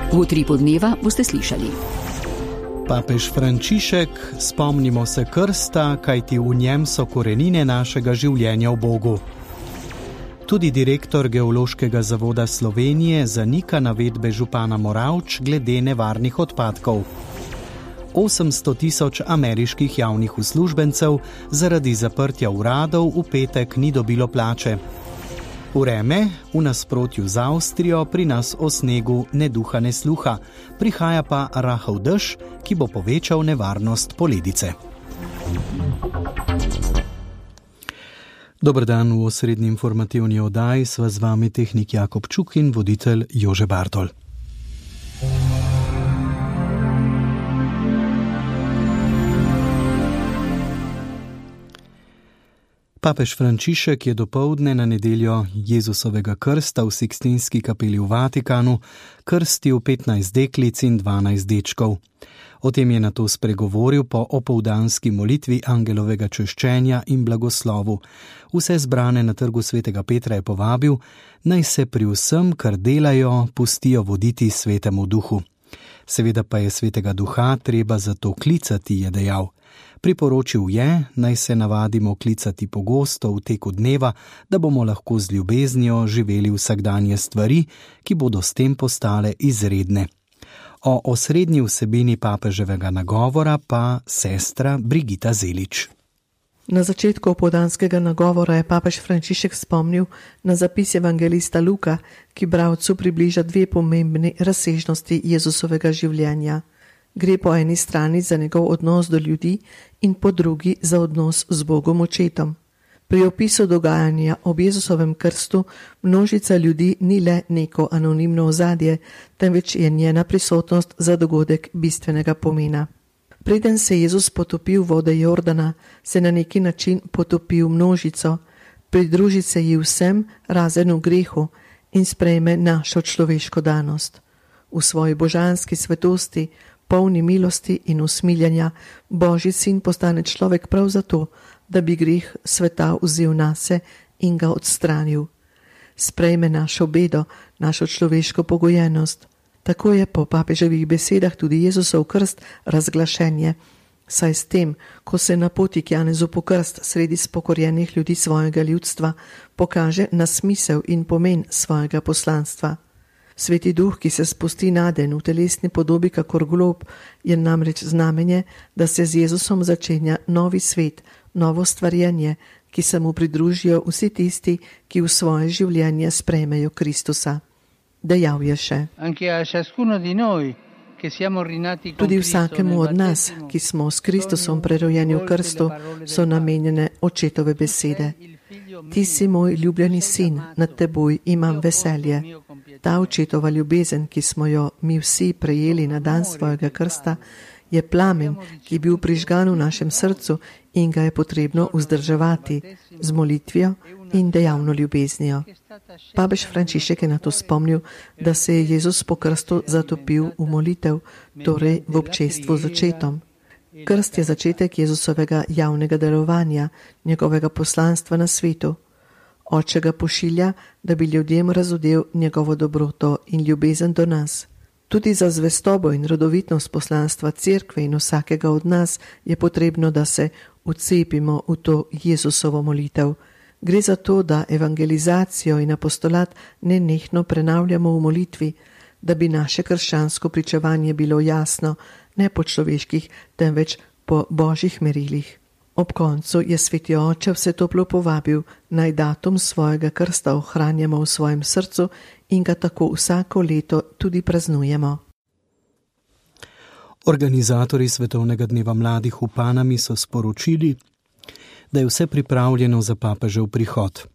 V Utripu dneva boste slišali. Papež Frančišek, spomnimo se krsta, kajti v njem so korenine našega življenja v Bogu. Tudi direktor Geološkega zavoda Slovenije zanika navedbe župana Moravč glede nevarnih odpadkov. 800 000 ameriških javnih uslužbencev zaradi zaprtja uradov v petek ni dobilo plače. Vreme, v nasprotju z Avstrijo, pri nas o snegu ne duha ne sluha, prihaja pa rahel dež, ki bo povečal nevarnost poledice. Dober dan, v osrednji informativni oddaji sva z vami tehnik Jakob Čuk in voditelj Jože Bartol. Papež Frančišek je dopoldne na nedeljo Jezusovega krsta v Sikstinski kapeli v Vatikanu krstil 15 deklic in 12 dečkov. O tem je nato spregovoril po opoldanski molitvi angelovega češčenja in blagoslovu. Vse zbrane na trgu svetega Petra je povabil, naj se pri vsem, kar delajo, pustijo voditi svetemu duhu. Seveda pa je svetega duha treba zato klicati, je dejal. Priporočil je, naj se navadimo klicati pogosto v teku dneva, da bomo lahko z ljubeznijo živeli vsakdanje stvari, ki bodo s tem postale izredne. O osrednji vsebini papeževega nagovora pa sestra Brigita Zelič. Na začetku opoldanskega nagovora je papež Frančišek spomnil na zapis evangelista Luka, ki bralcu približa dve pomembni razsežnosti Jezusovega življenja. Gre po eni strani za njegov odnos do ljudi in po drugi za odnos z Bogom Očetom. Pri opisu dogajanja ob Jezusovem krstu množica ljudi ni le neko anonimno ozadje, temveč je njena prisotnost za dogodek bistvenega pomena. Preden se Jezus potopil v vode Jordana, se na neki način potopil množico, pridruži se ji vsem razen v grehu in sprejme našo človeško danost. V svoji božanski svetosti, polni milosti in usmiljanja, Božji sin postane človek prav zato, da bi greh sveta vzel nase in ga odstranil. Sprejme našo bedo, našo človeško pogojenost. Tako je po papeževih besedah tudi Jezusov krst razglašenje, saj s tem, ko se na poti k Janezu po krst sredi spokorjenih ljudi svojega ljudstva, pokaže na smisel in pomen svojega poslanstva. Sveti duh, ki se spusti naden v telesni podobi kakor golob, je namreč znamenje, da se z Jezusom začenja novi svet, novo stvarjenje, ki se mu pridružijo vsi tisti, ki v svoje življenje sprejmejo Kristusa. Dejal je še: Tudi vsakemu od nas, ki smo s Kristusom prerojeni v krstu, so namenjene očetove besede. Ti si moj ljubljeni sin, nad teboj imam veselje. Ta očetova ljubezen, ki smo jo mi vsi prejeli na dan svojega krsta, je plamen, ki je bil prižgan v našem srcu in ga je potrebno vzdrževati z molitvijo in dejavno ljubeznijo. Papež Frančišek je na to spomnil, da se je Jezus po krstu zatopil v molitev, torej v občestvu z Očetom. Krst je začetek Jezusovega javnega delovanja, njegovega poslanstva na svetu. Oče ga pošilja, da bi ljudem razodel njegovo dobroto in ljubezen do nas. Tudi za zvestobo in rodovitnost poslanstva cerkve in vsakega od nas je potrebno, da se vcepimo v to Jezusovo molitev. Gre za to, da evangelizacijo in apostolat nenehno prenavljamo v molitvi, da bi naše krščansko pričevanje bilo jasno, ne po človeških, temveč po božjih merilih. Ob koncu je sveti oče vse toplo povabil, naj datum svojega krsta ohranjamo v svojem srcu in ga tako vsako leto tudi praznujemo. Organizatorji Svetovnega dneva mladih v Panami so sporočili, da je vse pripravljeno za papežev prihod.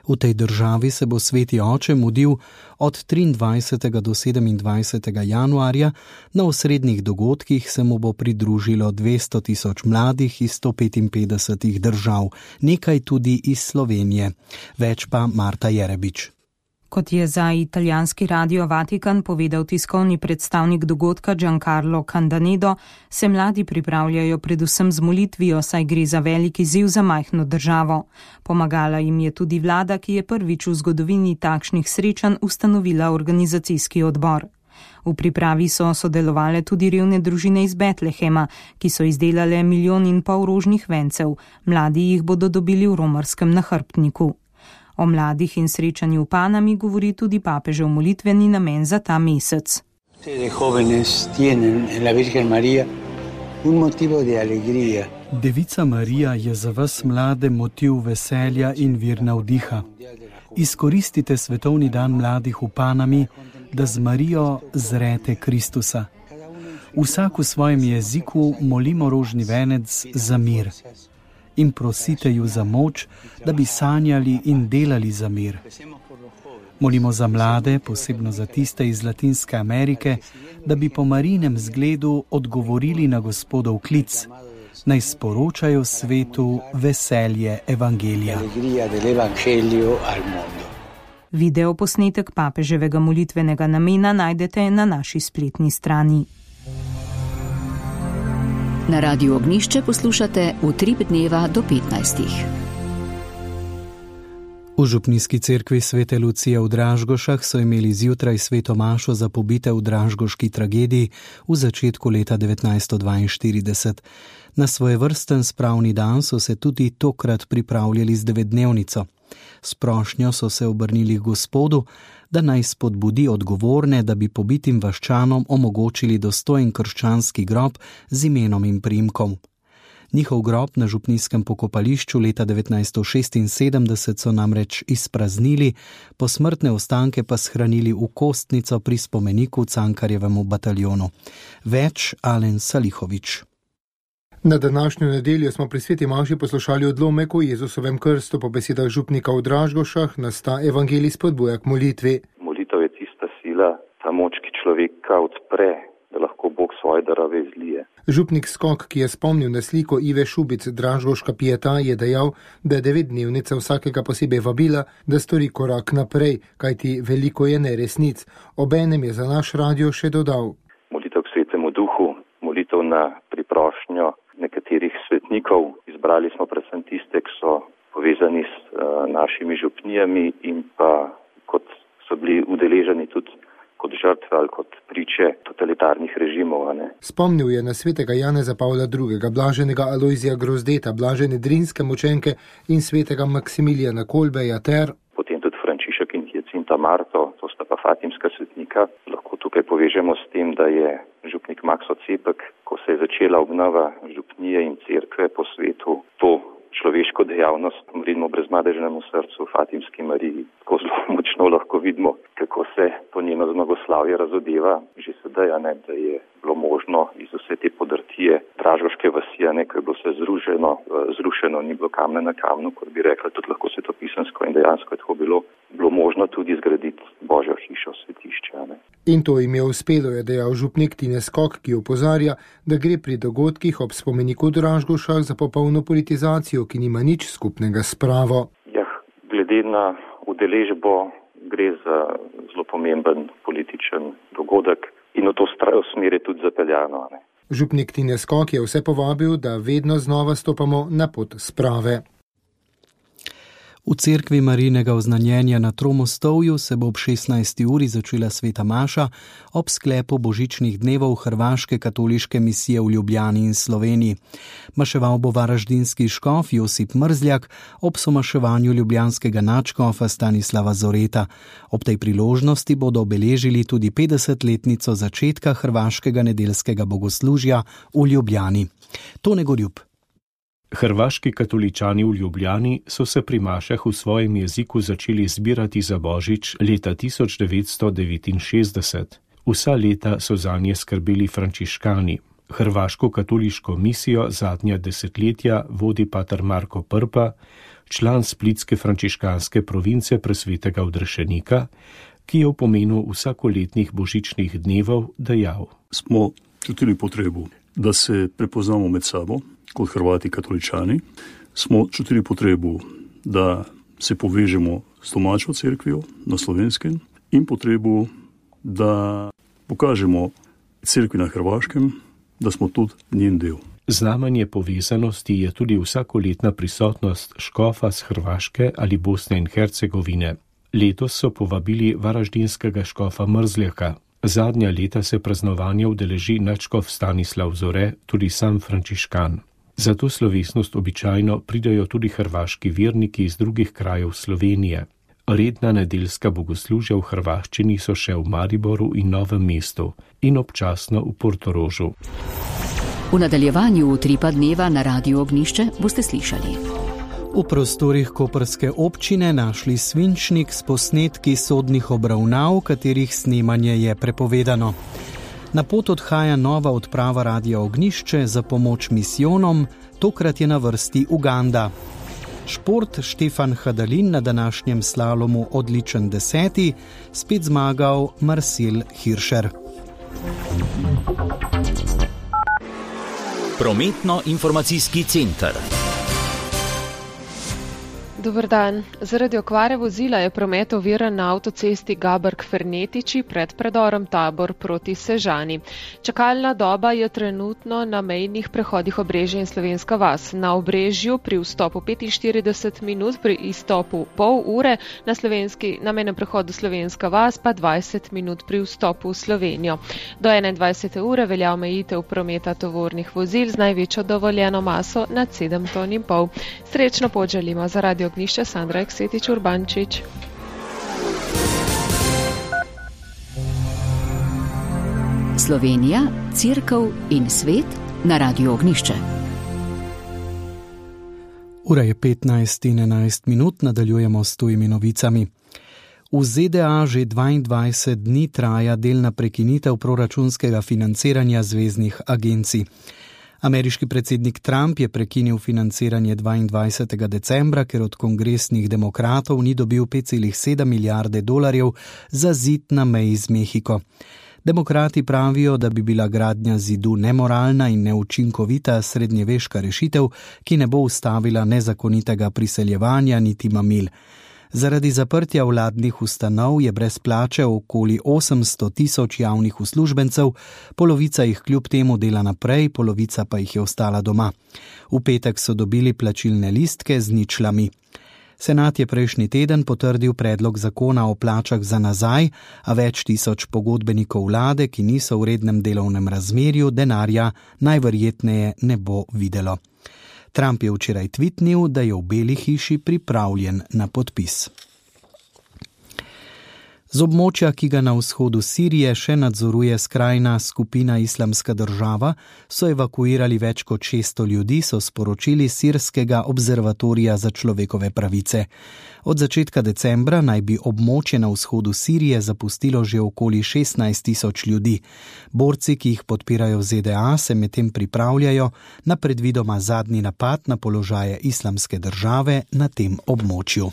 V tej državi se bo sveti oče mudil od 23. do 27. januarja, na osrednjih dogodkih se mu bo pridružilo 200 000 mladih iz 155 držav, nekaj tudi iz Slovenije. Več pa Marta Jerebič. Kot je za italijanski radio Vatikan povedal tiskovni predstavnik dogodka Giancarlo Candanedo, se mladi pripravljajo predvsem z molitvijo, saj gre za velik izziv za majhno državo. Pomagala jim je tudi vlada, ki je prvič v zgodovini takšnih srečanj ustanovila organizacijski odbor. V pripravi so sodelovale tudi revne družine iz Betlehema, ki so izdelale 1,5 milijona rožnih vencev. Mladi jih bodo dobili v romarskem nahrbtniku. O mladih in srečanju v Panami govori tudi papežev molitveni namen za ta mesec. Devica Marija je za vas mlade motiv veselja in vir navdiha. Izkoristite svetovni dan mladih v Panami, da z Marijo zrete Kristusa. Vsak v svojem jeziku molimo rožni venec za mir in prosite ju za moč, da bi sanjali in delali za mir. Molimo za mlade, posebno za tiste iz Latinske Amerike, da bi po Marijinem zgledu odgovorili na Gospodov klic, naj sporočajo svetu veselje evangelija. Video posnetek papeževega molitvenega namena najdete na naši spletni strani. Na Radiu Ognjišče poslušate Utrip dneva do 15. V župnijski cerkvi Svete Lucije v Dražgošah so imeli zjutraj sveto mašo za pobite v dražgoški tragediji v začetku leta 1942. Na svojevrsten spravni dan so se tudi tokrat pripravljali z 9-dnevnico. S prošnjo so se obrnili k Gospodu, da naj spodbudi odgovorne, da bi pobitim vaščanom omogočili dostojen krščanski grob z imenom in priimkom. Njihov grob na župnijskem pokopališču leta 1976 so namreč izpraznili, posmrtne ostanke pa shranili v kostnico pri spomeniku Cankarjevemu bataljonu. Več Alen Salihovič. Na današnjo nedeljo smo pri sveti maši poslušali odlomek o Jezusovem krstu. Po besedah župnika v Dražgošah nas ta evangelij spodbuja k molitvi. Molitev je tista sila, ta moč, ki človeka odpre, da lahko Bog svoje darove izlije. Župnik Skok, ki je spomnil na sliko Ive Šubic Dražgoška pieta, je dejal, da je 9-dnevnica vsakega posebej vabila, da stori korak naprej, kajti veliko je neresnic. Obenem je za naš radio še dodal. Molitev k Svetemu Duhu, molitev na priprošnjo nekaterih svetnikov. Izbrali smo predvsem tiste, ki so povezani s našimi župnijami in pa kot so bili udeleženi tudi kot žrtve ali kot priče totalitarnih režimov. Spomnil je na svetega Janeza Pavla II., blaženega Alojzija Grozdeta, blažene Drinske mučenke in svetega Maksimilijana Kolbeja ter potem tudi Frančišek in Hjacinta Marto, to sta pa fatimska svetnika. Lahko tukaj povežemo s tem, da je župnik Makso Cepek, ko se je začela obnova župnije in cerkve po svetu, to človeško dejavnost, vidimo brezmadežnemu srcu Fatimski Mariji. Tako zelo močno lahko vidimo, kako se to njeno zmagoslavje razodeva. Že sedaj, da je bilo možno iz vse te podrtije dražgoške vasi, ko je bilo vse zrušeno, ni bilo kamne na kamnu, kot bi rekla, tudi lahko svetopisemsko in dejansko je tako bilo možno tudi zgraditi Božjo hišo, svetišče. In to jim je uspelo, je dejal župnik Tine Skok, ki opozarja, da gre pri dogodkih ob spomeniku v Dražgošah za popolno politizacijo, ki nima nič skupnega s pravo. Glede na udeležbo gre za zelo pomemben političen dogodek in v to smer je tudi zapeljano. Župnik Tine Skok je vse povabil, da vedno znova stopamo na pot sprave. V cerkvi Marijinega oznanjenja na Tromostovju se bo ob 16. uri začela sveta maša ob sklepu božičnih dnevov Hrvaške katoliške misije v Ljubljani in Sloveniji. Maševal bo varaždinski škof Josip Mrzljak ob somaševanju ljubljanskega nadškofa Stanislava Zoreta. Ob tej priložnosti bodo obeležili tudi 50-letnico začetka hrvaškega nedeljskega bogoslužja v Ljubljani. Tone Gorjup. Hrvaški katoličani v Ljubljani so se pri mašah v svojem jeziku začeli zbirati za Božič leta 1969. Vsa leta so zanje skrbeli frančiškani. Hrvaško katoliško misijo zadnja desetletja vodi pater Marko Prpa, član splitske frančiškanske province Presvetega Odrešenika, ki je v pomenu vsakoletnih božičnih dnevov dejal. Smo čutili potrebu, da se prepoznamo med sabo, kot Hrvati katoličani. Smo čutili potrebu, da se povežemo s domačo cerkvijo na Slovenskem in potrebu, da pokažemo cerkvi na Hrvaškem, da smo tudi njen del. Znamenje povezanosti je tudi vsakoletna prisotnost škofa z Hrvaške ali Bosne in Hercegovine. Letos so povabili varaždinskega škofa Mrzljaka. Zadnja leta se praznovanja udeleži nadškof Stanislav Zore, tudi sam frančiškan. Za to slovesnost običajno pridajo tudi hrvaški verniki iz drugih krajev Slovenije. Redna nedeljska bogoslužja v hrvaščini so še v Mariboru in Novem mestu in občasno v Portorožu. V nadaljevanju Utripa dneva na Radiu Ognjišče boste slišali. V prostorih koprske občine našli svinčnik s posnetki sodnih obravnav, katerih snemanje je prepovedano. Na pot odhaja nova odprava Radia Ognjišče za pomoč misijonom, tokrat je na vrsti Uganda. Šport, Štefan Hadalin na današnjem slalomu odličen 10., spet zmagal Marcel Hirscher. Prometno-informacijski center. Dober dan. Zaradi okvare vozila je promet oviran na avtocesti Gabrk-Fernetiči pred predorom Tabor proti Sežani. Čakalna doba je trenutno na mejnih prehodih Obrežje in Slovenska vas. Na Obrežju pri vstopu 45 minut, pri izstopu pol ure, na mejnem prehodu Slovenska vas pa 20 minut pri vstopu v Slovenijo. Do 21. ure velja omejitev prometa tovornih vozil z največjo dovoljeno maso nad 7,5 ton. Srečno pot želimo za Radio Ognjišče, Sandra Eksetič Urbančič. Slovenija, Cerkev in svet na Radiu Ognjišče. Ura je 15:11, nadaljujemo s tujimi novicami. V ZDA že 22 dni traja delna prekinitev proračunskega financiranja zveznih agencij. Ameriški predsednik Trump je prekinil financiranje 22. decembra, ker od kongresnih demokratov ni dobil 5,7 milijarde dolarjev za zid na meji z Mehiko. Demokrati pravijo, da bi bila gradnja zidu nemoralna in neučinkovita srednjeveška rešitev, ki ne bo ustavila nezakonitega priseljevanja niti mamil. Zaradi zaprtja vladnih ustanov je brez plače okoli 800,000 javnih uslužbencev, polovica jih kljub temu dela naprej, polovica pa jih je ostala doma. V petek so dobili plačilne listke z ničlami. Senat je prejšnji teden potrdil predlog zakona o plačah za nazaj, a več tisoč pogodbenikov vlade, ki niso v rednem delovnem razmerju, denarja najverjetneje ne bo videlo. Trump je včeraj tvitnil, da je v Beli hiši pripravljen na podpis. Z območja, ki ga na vzhodu Sirije še nadzoruje skrajna skupina Islamska država, so evakuirali več kot 600 ljudi, so sporočili Sirskega observatorija za človekove pravice. Od začetka decembra naj bi območje na vzhodu Sirije zapustilo že okoli 16,000 ljudi. Borci, ki jih podpirajo ZDA, se medtem pripravljajo na predvidoma zadnji napad na položaje Islamske države na tem območju.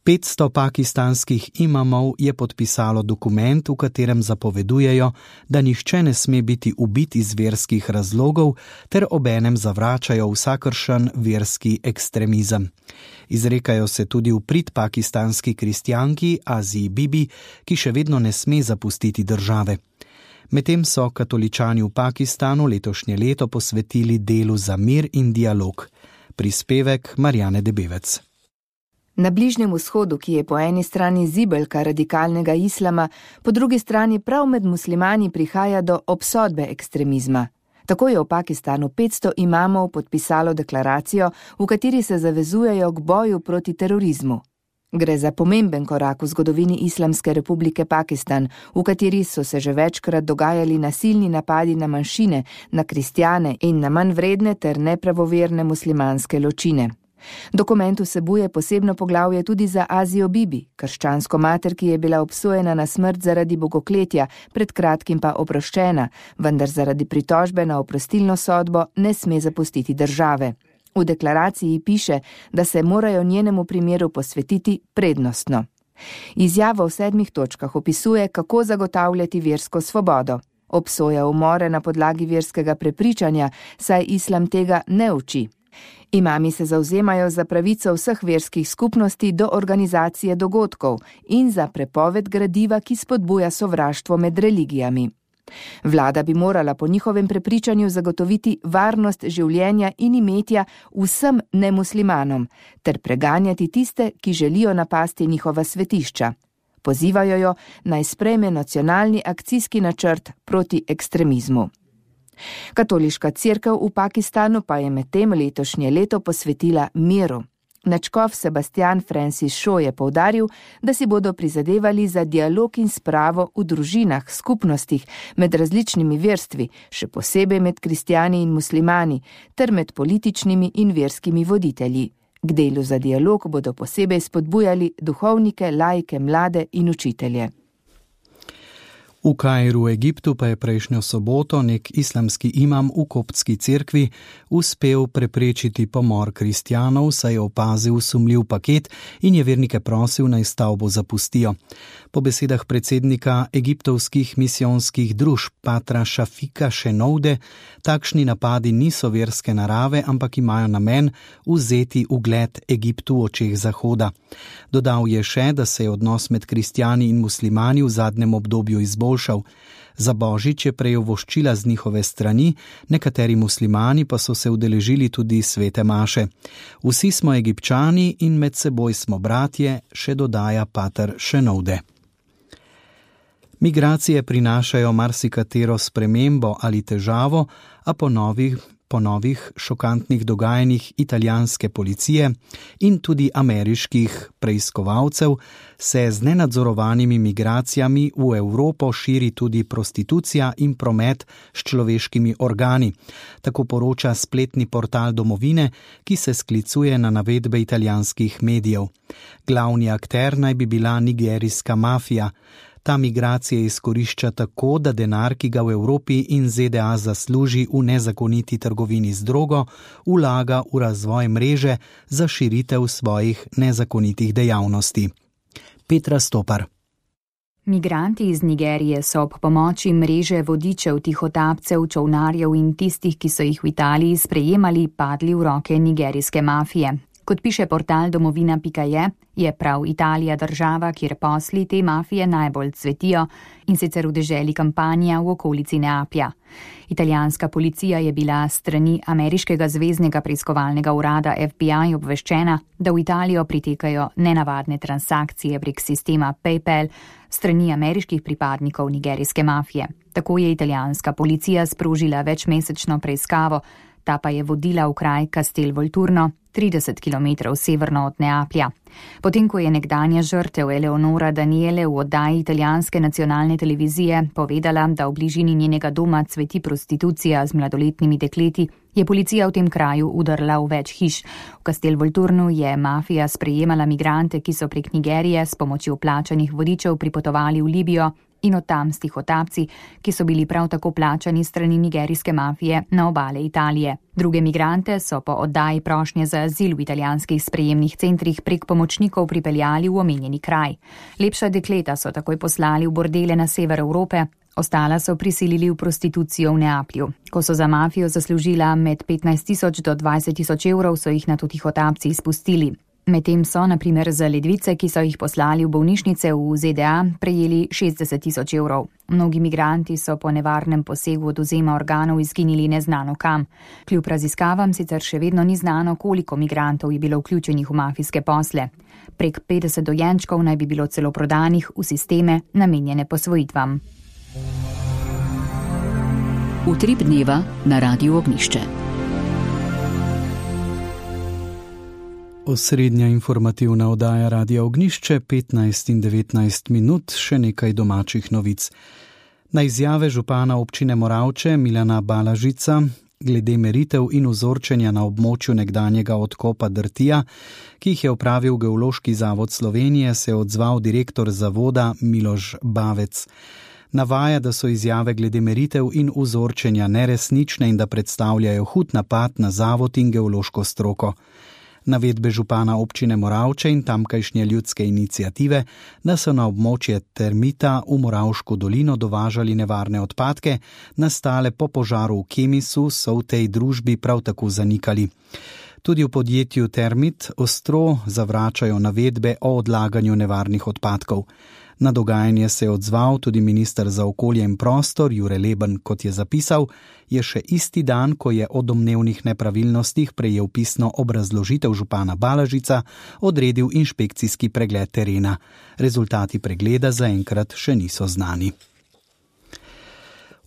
500 pakistanskih imamov je podpisalo dokument, v katerem zapovedujejo, da nihče ne sme biti ubit iz verskih razlogov, ter obenem zavračajo vsakršen verski ekstremizem. Izrekajo se tudi v prid pakistanski kristjanki Aziji Bibi, ki še vedno ne sme zapustiti države. Medtem so katoličani v Pakistanu letošnje leto posvetili delu za mir in dialog. Prispevek Marjane Debevec. Na Bližnjem vzhodu, ki je po eni strani zibelka radikalnega islama, po drugi strani prav med muslimani prihaja do obsodbe ekstremizma. Tako je v Pakistanu 500 imamov podpisalo deklaracijo, v kateri se zavezujejo k boju proti terorizmu. Gre za pomemben korak v zgodovini Islamske republike Pakistan, v kateri so se že večkrat dogajali nasilni napadi na manjšine, na kristjane in na manj vredne ter nepravoverne muslimanske ločine. Dokument vsebuje posebno poglavje tudi za Azijo Bibi, krščansko mater, ki je bila obsojena na smrt zaradi bogokletja, pred kratkim pa oproščena, vendar zaradi pritožbe na oprostilno sodbo ne sme zapustiti države. V deklaraciji piše, da se morajo njenemu primeru posvetiti prednostno. Izjava v 7 točkah opisuje, kako zagotavljati versko svobodo. Obsoja umore na podlagi verskega prepričanja, saj islam tega ne uči. Imami se zavzemajo za pravico vseh verskih skupnosti do organizacije dogodkov in za prepoved gradiva, ki spodbuja sovraštvo med religijami. Vlada bi morala po njihovem prepričanju zagotoviti varnost življenja in imetja vsem nemuslimanom ter preganjati tiste, ki želijo napasti njihova svetišča. Pozivajo jo, naj sprejme nacionalni akcijski načrt proti ekstremizmu. Katoliška cerkev v Pakistanu pa je medtem letošnje leto posvetila miru. Nadškof Sebastian Francis Shaw je poudaril, da si bodo prizadevali za dialog in spravo v družinah, skupnostih, med različnimi verstvi, še posebej med kristjani in muslimani, ter med političnimi in verskimi voditelji. K delu za dialog bodo posebej spodbujali duhovnike, laike, mlade in učitelje. V Kairu, Egiptu, pa je prejšnjo soboto nek islamski imam v koptski cerkvi uspel preprečiti pomor kristjanov, saj je opazil sumljiv paket in je vernike prosil, naj stavbo zapustijo. Po besedah predsednika egiptovskih misijonskih družb patra Šafika Šenoude, takšni napadi niso verske narave, ampak imajo namen vzeti ugled Egiptu v očeh Zahoda. Dodal je še, da se je odnos med kristjani in muslimani v zadnjem obdobju izboljšal. Za božič je prejel voščila z njihove strani, nekateri muslimani pa so se udeležili tudi svete maše. Vsi smo Egipčani in med seboj smo bratje, še dodaja pater Šenoude. Migracije prinašajo marsikatero spremembo ali težavo, a po novih šokantnih dogajanjih italijanske policije in tudi ameriških preiskovalcev se z nenadzorovanimi migracijami v Evropo širi tudi prostitucija in promet s človeškimi organi. Tako poroča spletni portal Domovine, ki se sklicuje na navedbe italijanskih medijev. Glavni akter naj bi bila nigerijska mafija. Ta migracije izkorišča tako, da denar, ki ga v Evropi in ZDA zasluži v nezakoniti trgovini z drogo, vlaga v razvoj mreže za širitev svojih nezakonitih dejavnosti. Petra Stopar. Migranti iz Nigerije so ob pomoči mreže vodičev, tihotapcev, čolnarjev in tistih, ki so jih v Italiji sprejemali, padli v roke nigerijske mafije. Kot piše portal domovina.je, je prav Italija država, kjer posli te mafije najbolj cvetijo, in sicer v deželi Kampanja v okolici Neaplja. Italijanska policija je bila s strani ameriškega zveznega preiskovalnega urada FBI obveščena, da v Italijo pritekajo nenavadne transakcije prek sistema PayPal strani ameriških pripadnikov nigerijske mafije. Tako je italijanska policija sprožila večmesečno preiskavo, ta pa je vodila v kraj Castel Volturno, 30 km severno od Neaplja. Potem, ko je nekdanja žrtev Eleonora Daniele v oddaji italijanske nacionalne televizije povedala, da v bližini njenega doma cveti prostitucija z mladoletnimi dekleti, je policija v tem kraju udrla v več hiš. V Castel Volturnu je mafija sprejemala migrante, ki so prek Nigerije s pomočjo plačanih vodičev pripotovali v Libijo, in od tam s tihotapci, ki so bili prav tako plačani strani nigerijske mafije na obale Italije. Druge migrante so po oddaji prošnje za azil v italijanskih sprejemnih centrih prek pomočnikov pripeljali v omenjeni kraj. Lepša dekleta so takoj poslali v bordele na sever Evrope, ostala so prisilili v prostitucijo v Neaplju. Ko so za mafijo zaslužila med 15.000 do 20.000 evrov, so jih nato tihotapci izpustili. Medtem so, na primer, za ledvice, ki so jih poslali v bolnišnice v ZDA, prejeli 60.000 evrov. Mnogi migranti so po nevarnem posegu odvzema organov izginili neznano kam. Kljub raziskavam sicer še vedno ni znano, koliko migrantov je bilo vključenih v mafijske posle. Prek 50 dojenčkov naj bi bilo celo prodanih v sisteme namenjene posvojitvam. Utrip dneva na Radiu Ognjišče. Osrednja informativna oddaja Radia Ognjišče, 15 in 19 minut, še nekaj domačih novic. Na izjave župana občine Moravče Milana Balažica glede meritev in vzorčenja na območju nekdanjega odkopa Drtija, ki jih je opravil Geološki zavod Slovenije, se je odzval direktor zavoda Miloš Bavec. Navaja, da so izjave glede meritev in vzorčenja neresnične in da predstavljajo hud napad na zavod in geološko stroko. Navedbe župana občine Moravče in tamkajšnje ljudske iniciative, da so na območje termita v Moravško dolino dovažali nevarne odpadke, nastale po požaru v Kemisu, so v tej družbi prav tako zanikali. Tudi v podjetju Termit ostro zavračajo navedbe o odlaganju nevarnih odpadkov. Na dogajanje se je odzval tudi minister za okolje in prostor Jure Leben, kot je zapisal, je še isti dan, ko je o domnevnih nepravilnostih prejel pisno obrazložitev župana Balažica, odredil inšpekcijski pregled terena. Rezultati pregleda zaenkrat še niso znani.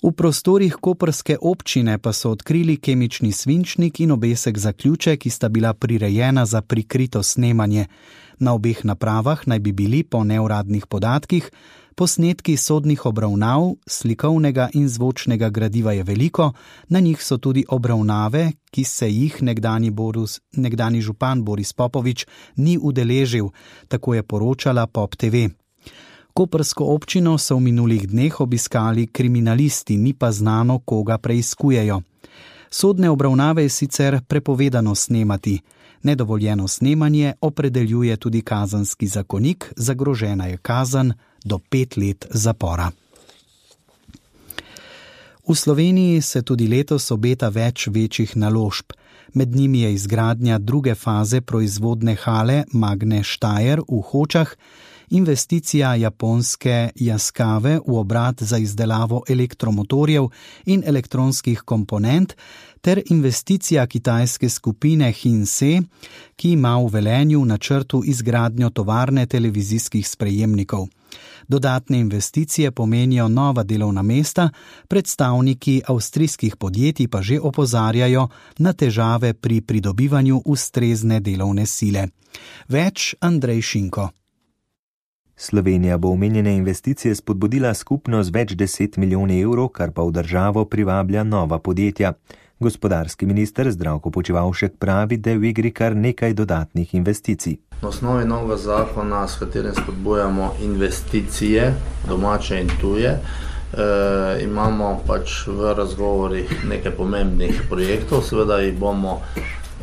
V prostorih koprske občine pa so odkrili kemični svinčnik in obesek za ključe, ki sta bila prirejena za prikrito snemanje. Na obeh napravah naj bi bili po neuradnih podatkih posnetki sodnih obravnav, slikovnega in zvočnega gradiva je veliko, na njih so tudi obravnave, ki se jih nekdani župan Boris Popovič ni udeležil, tako je poročala Pop TV. Koprsko občino so v minulih dneh obiskali kriminalisti, ni pa znano, koga preiskujejo. Sodne obravnave je sicer prepovedano snemati. Nedovoljeno snemanje opredeljuje tudi kazenski zakonik, zagrožena je kazen do 5 let zapora. V Sloveniji se tudi letos obeta več večjih naložb. Med njimi je izgradnja druge faze proizvodne hale Magne Steyr v Hočah, investicija japonske Yaskawe v obrat za izdelavo elektromotorjev in elektronskih komponent ter investicija kitajske skupine Hinse, ki ima v Velenju v načrtu izgradnjo tovarne televizijskih sprejemnikov. Dodatne investicije pomenijo nova delovna mesta, predstavniki avstrijskih podjetij pa že opozarjajo na težave pri pridobivanju ustrezne delovne sile. Več Andrej Šinko. Slovenija bo omenjene investicije spodbudila skupno z več 10 milijoni evrov, kar pa v državo privablja nova podjetja. Gospodarski minister Zdravko Počivalšek pravi, da je v igri kar nekaj dodatnih investicij. Na osnovi novega zakona, s katerim spodbujamo investicije, domače in tuje, imamo pač v razgovorih nekaj pomembnih projektov, seveda jih bomo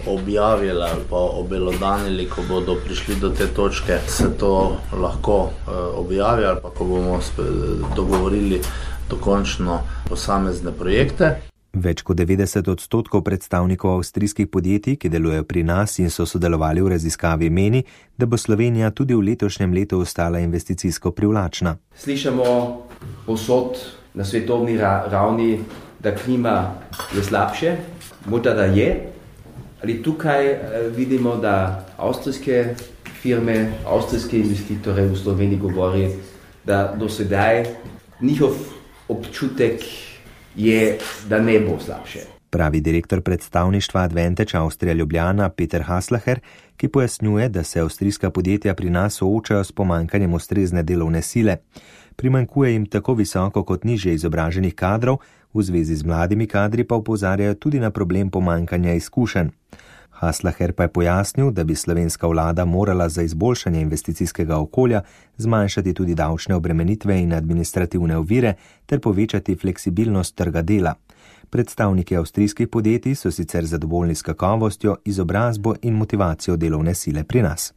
objavili ali pa obelodanili, ko bodo prišli do te točke, se to lahko objavi ali pa ko bomo dogovorili dokončno posamezne projekte. Več kot 90% predstavnikov avstrijskih podjetij, ki delujejo pri nas in so sodelovali v raziskavi, meni, da bo Slovenija tudi v letošnjem letu ostala investicijsko privlačna. Slišamo povsod na svetovni ravni, da klima je slabše, morda da je. Ali tukaj vidimo, da avstrijske firme, avstrijske investitore v Sloveniji govori, da do sedaj njihov občutek je, da ne bo slabše. Pravi direktor predstavništva Advantage Avstrija Ljubljana Peter Haslacher, ki pojasnjuje, da se avstrijska podjetja pri nas soočajo s pomanjkanjem ustrezne delovne sile. Primanjkuje jim tako visoko kot nižje izobraženih kadrov, v zvezi z mladimi kadri pa opozarjajo tudi na problem pomanjkanja izkušenj. Haslacher pa je pojasnil, da bi slovenska vlada morala za izboljšanje investicijskega okolja zmanjšati tudi davčne obremenitve in administrativne ovire ter povečati fleksibilnost trga dela. Predstavniki avstrijskih podjetij so sicer zadovoljni s kakovostjo, izobrazbo in motivacijo delovne sile pri nas.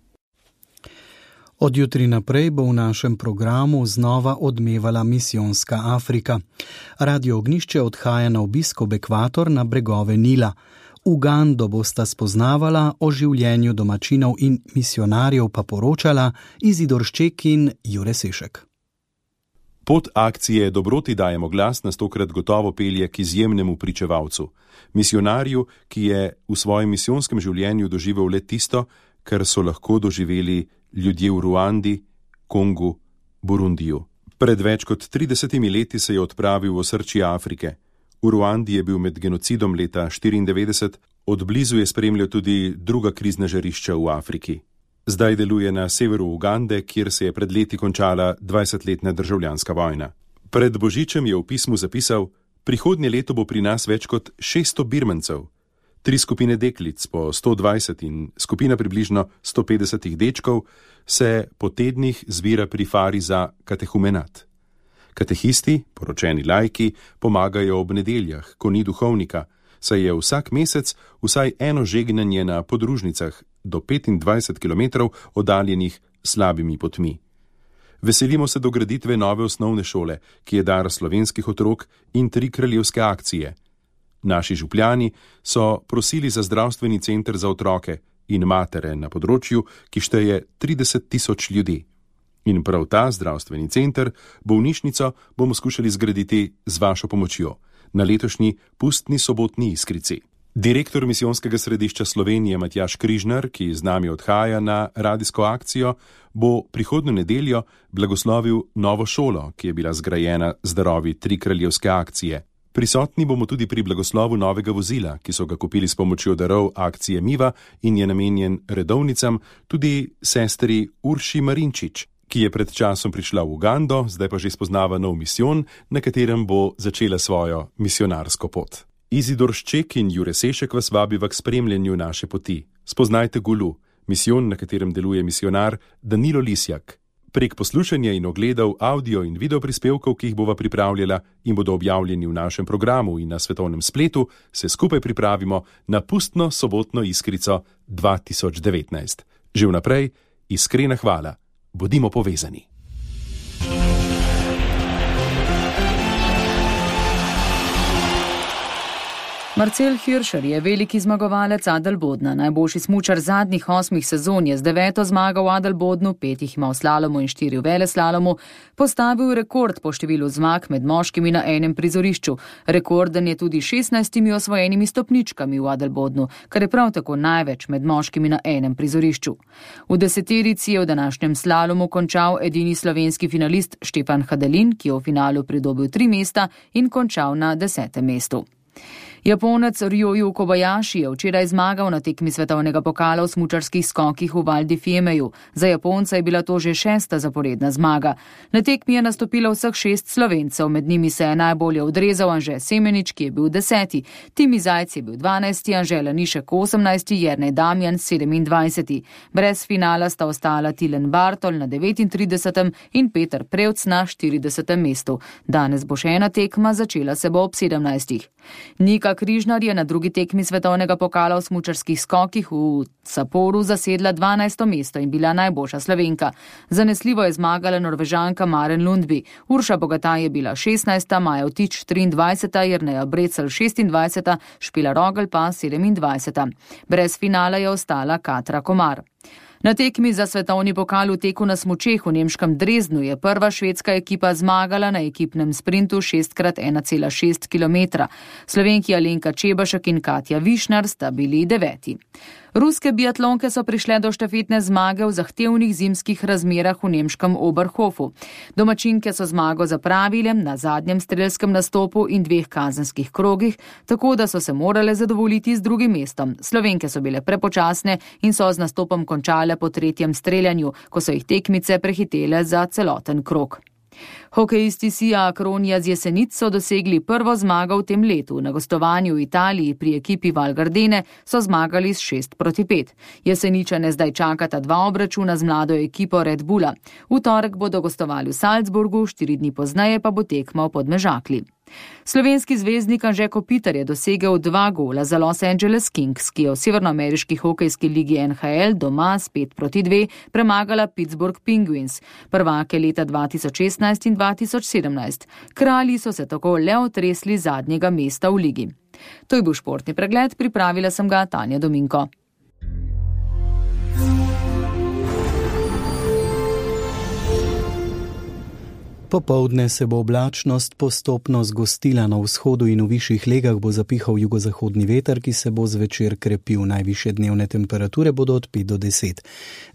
Od jutri naprej bo v našem programu znova odmevala misijonska Afrika. Radio Ognjišče odhaja na obisk ob ekvator na bregove Nila. Ugando bosta spoznavala, o življenju domačinov in misionarjev pa poročala Izidor Šček in Jure Sešek. Pot akcije Dobroti dajemo glas nas tokrat gotovo pelje k izjemnemu pričevalcu, misionarju, ki je v svojem misijonskem življenju doživel le tisto, kar so lahko doživeli ljudje v Ruandi, Kongu, Burundiju. Pred več kot 30 leti se je odpravil v osrčje Afrike. V Ruandi je bil med genocidom leta 1994, od blizu je spremljal tudi druga krizna žarišča v Afriki. Zdaj deluje na severu Ugande, kjer se je pred leti končala 20-letna državljanska vojna. Pred Božičem je v pismu zapisal: prihodnje leto bo pri nas več kot 600 birmancev, 3 skupine deklic po 120 in skupina približno 150 dečkov se po tednih zbira pri fari za katehumenat. Katehisti, poročeni laiki, pomagajo ob nedeljah, ko ni duhovnika, saj je vsak mesec vsaj eno žegnanje na podružnicah do 25 km oddaljenih slabimi potmi. Veselimo se dograditve nove osnovne šole, ki je dar slovenskih otrok in 3 kraljevske akcije. Naši župljani so prosili za zdravstveni center za otroke in matere na področju, ki šteje 30 000 ljudi. In prav ta zdravstveni center, bolnišnico, bomo skušali zgraditi z vašo pomočjo na letošnji pustni sobotni Iskrici. Direktor misijonskega središča Slovenije Matjaž Križnar, ki z nami odhaja na radijsko akcijo, bo prihodnjo nedeljo blagoslovil novo šolo, ki je bila zgrajena z darovi Tri kraljevske akcije. Prisotni bomo tudi pri blagoslovu novega vozila, ki so ga kupili s pomočjo darov akcije Miva in je namenjen redovnicam, tudi sestri Urši Marinčič, ki je pred časom prišla v Ugando, zdaj pa že spoznava nov misijon, na katerem bo začela svojo misionarsko pot. Izidor Šček in Jure Sešek vas vabiva k spremljanju naše poti. Spoznajte Gulu, misijon, na katerem deluje misionar Danilo Lisjak. Prek poslušanja in ogledov audio in video prispevkov, ki jih bova pripravljala in bodo objavljeni v našem programu in na svetovnem spletu, se skupaj pripravimo na pustno sobotno Iskrico 2019. Že vnaprej, iskrena hvala. Bodimo povezani. Marcel Hirscher je veliki zmagovalec Adelbodna. Najboljši smučar zadnjih 8 sezon je z 9. zmago v Adelbodnu, 5 jih ima v slalomu in 4 v veleslalomu, postavil rekord po številu zmag med moškimi na enem prizorišču. Rekorden je tudi 16 osvojenimi stopničkami v Adelbodnu, kar je prav tako največ med moškimi na enem prizorišču. V deseterici je v današnjem slalomu končal edini slovenski finalist Štefan Hadelin, ki je v finalu pridobil 3 mesta in končal na 10. mestu. Japonec Ryoyu Kobayashi je včeraj zmagal na tekmi svetovnega pokala v smučarskih skokih v Val di Fiemeju. Za Japonca je bila to že 6. zaporedna zmaga. Na tekmi je nastopilo vseh 6 Slovencev, med njimi se je najbolje odrezal Anže Semenič, ki je bil 10. Timi Zajc je bil 12. Anže Lanišek 18. Jernej Damjan 27. Brez finala sta ostala Tilen Bartol na 39. in Peter Prevc na 40. mestu. Danes bo še ena tekma, začela se bo ob 17. Nika Križnar je na drugi tekmi svetovnega pokala v smučarskih skokih v Saporu zasedla 12. mesto in bila najboljša Slovenka. Zanesljivo je zmagala Norvežanka Maren Lundby. Urša Bogataj je bila 16., Maja Vtič 23., Jerneja Brecelj 26., Špila Rogel pa 27. Brez finala je ostala Katra Komar. Na tekmi za svetovni pokal v teku na smučeh v nemškem Drezdnu je prva švedska ekipa zmagala na ekipnem sprintu 6x1,6 km. Slovenki Alenka Čebašek in Katja Višnar sta bili 9. Ruske biatlonke so prišle do štafetne zmage v zahtevnih zimskih razmerah v nemškem Oberhofu. Domačinke so zmago zapravile na zadnjem strelskem nastopu in 2 kazenskih krogih, tako da so se morale zadovoljiti z drugim mestom. Slovenke so bile prepočasne in so z nastopom končale po 3. streljanju, ko so jih tekmice prehitele za celoten krog. Hokejisti Sija Akronija z Jesenic so dosegli prvo zmago v tem letu. Na gostovanju v Italiji pri ekipi Val Gardene so zmagali s 6-5. Jeseničane zdaj čakata 2 obračuna z mlado ekipo Red Bulla. V torek bodo gostovali v Salzburgu, 4 dni pozneje pa bo tekmal v Podmežakli. Slovenski zvezdnik Anže Kopitar je dosegel 2 gola za Los Angeles Kings, ki je v severnoameriški hokejski ligi NHL doma s 5-2 premagala Pittsburgh Penguins, prvake leta 2016 in 2017. Kralji so se tako le otresli zadnjega mesta v ligi. To je bil športni pregled, pripravila sem ga Tanja Dominko. Popoldne se bo oblačnost postopno zgostila, na vzhodu in v višjih legah bo zapihal jugozahodni veter, ki se bo zvečer krepil. Najvišje dnevne temperature bodo od 5 do 10.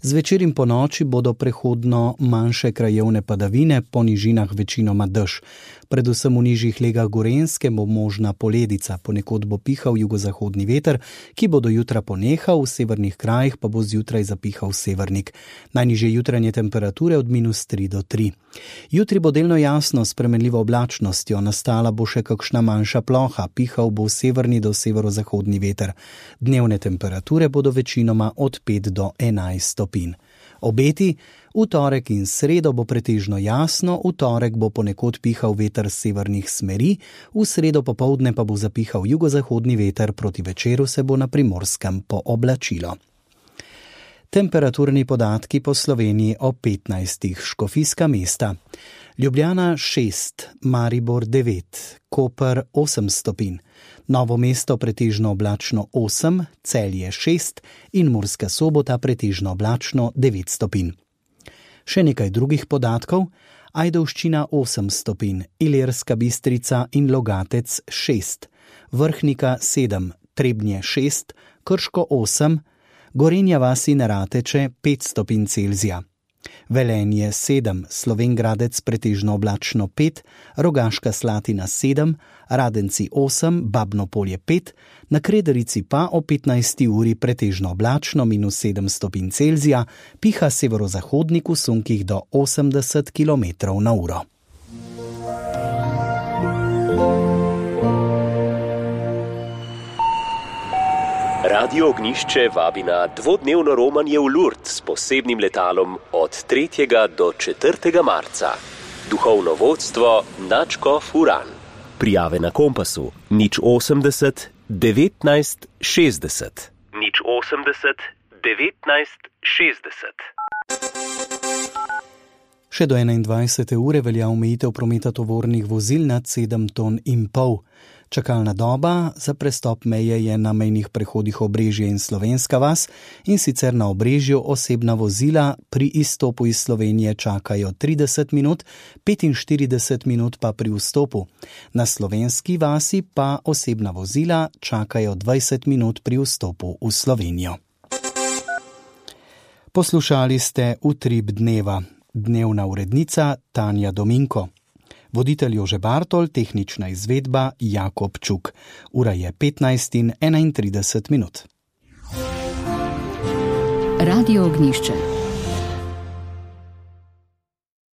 Zvečer in po noči bodo prehodno manjše krajevne padavine, po nižinah večinoma dež. Predvsem v nižjih legah Gorenjske bo možna poledica, ponekod bo pihal jugozahodni veter, ki bo do jutra ponehal, v severnih krajih pa bo zjutraj zapihal severnik. Najnižje jutranje temperature od -3 do 3. Jutri bo delno jasno s spremenljivo oblačnostjo, nastala bo še kakšna manjša ploha, pihal bo severni do severozahodni veter. Dnevne temperature bodo večinoma od 5 do 11 stopinj. Obeti: v torek in sredo bo pretežno jasno, v torek bo ponekod pihal veter z severnih smeri, v sredo popoldne pa bo zapihal jugozahodni veter, proti večeru se bo na Primorskem pooblačilo. Temperaturni podatki po Sloveniji o 15. Škofijska mesta. Ljubljana 6, Maribor 9, Koper 8 stopinj, Novo mesto pretežno oblačno 8, Celje 6 in Murska Sobota pretežno oblačno 9 stopinj. Še nekaj drugih podatkov. Ajdovščina 8 stopinj, Ilirska Bistrica in Logatec 6, Vrhnika 7, Trebnje 6, Krško 8, Gorenja vas in Rateče 5 stopinj Celzija. Velenje 7, Slovengradec pretežno oblačno 5, Rogaška Slatina 7, Radenci 8, Babno Polje 5, na Krederici pa o 15. uri pretežno oblačno -7 stopinj Celzija, piha severozahodnik v sunkih do 80 km/h. Radio Ognišče vabi na dvodnevno romanje v Lourdes s posebnim letalom od 3. do 4. marca. Duhovno vodstvo Načko Furan. Prijave na Kompasu 080 19 60. 080 19 60. Še do 21. ure velja omejitev prometa tovornih vozil nad 7,5 ton. Čakalna doba za prestop meje je na mejnih prehodih Obrežje in Slovenska vas, in sicer na Obrežju osebna vozila pri izstopu iz Slovenije čakajo 30 minut, 45 minut pa pri vstopu. Na Slovenski vasi pa osebna vozila čakajo 20 minut pri vstopu v Slovenijo. Poslušali ste Utrip dneva. Dnevna urednica Tanja Dominko. Voditelj Jože Bartol, tehnična izvedba Jakob Čuk. Ura je 15:31. Radio Ognišče.